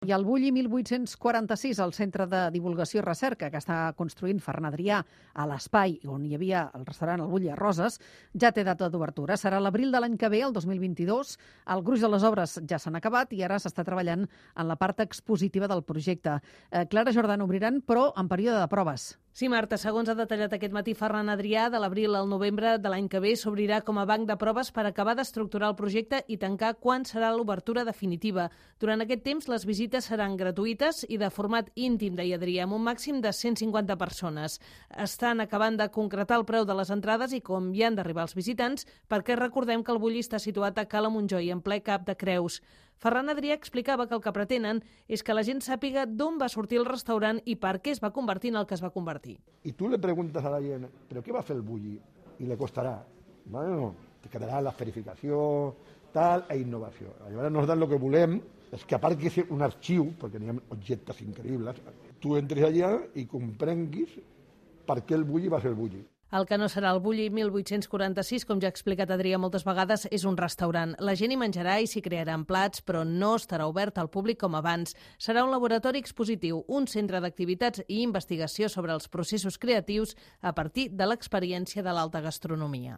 I el Bulli 1846, el Centre de Divulgació i Recerca que està construint Ferran Adrià a l'espai on hi havia el restaurant El Bulli a Roses, ja té data d'obertura. Serà l'abril de l'any que ve, el 2022. El gruix de les obres ja s'han acabat i ara s'està treballant en la part expositiva del projecte. Clara Jordan, obriran, però en període de proves. Sí, Marta, segons ha detallat aquest matí Ferran Adrià, de l'abril al novembre de l'any que ve s'obrirà com a banc de proves per acabar d'estructurar el projecte i tancar quan serà l'obertura definitiva. Durant aquest temps, les visites seran gratuïtes i de format íntim, deia Adrià, amb un màxim de 150 persones. Estan acabant de concretar el preu de les entrades i com hi han d'arribar els visitants, perquè recordem que el Bulli està situat a Cala Montjoi, en ple Cap de Creus. Ferran Adrià explicava que el que pretenen és que la gent sàpiga d'on va sortir el restaurant i per què es va convertir en el que es va convertir. Y tú le preguntas a la gent, ¿pero qué va a hacer el Bulli? Y le costará. Bueno, te quedará la esferificació, tal, e innovació. Llavors nosaltres el que volem és que a part que és un arxiu, perquè n'hi ha objectes increïbles, tu entres allà i comprenguis per què el Bulli va ser el Bulli. El que no serà el Bulli 1846, com ja ha explicat Adrià moltes vegades, és un restaurant. La gent hi menjarà i s'hi crearan plats, però no estarà obert al públic com abans. Serà un laboratori expositiu, un centre d'activitats i investigació sobre els processos creatius a partir de l'experiència de l'alta gastronomia.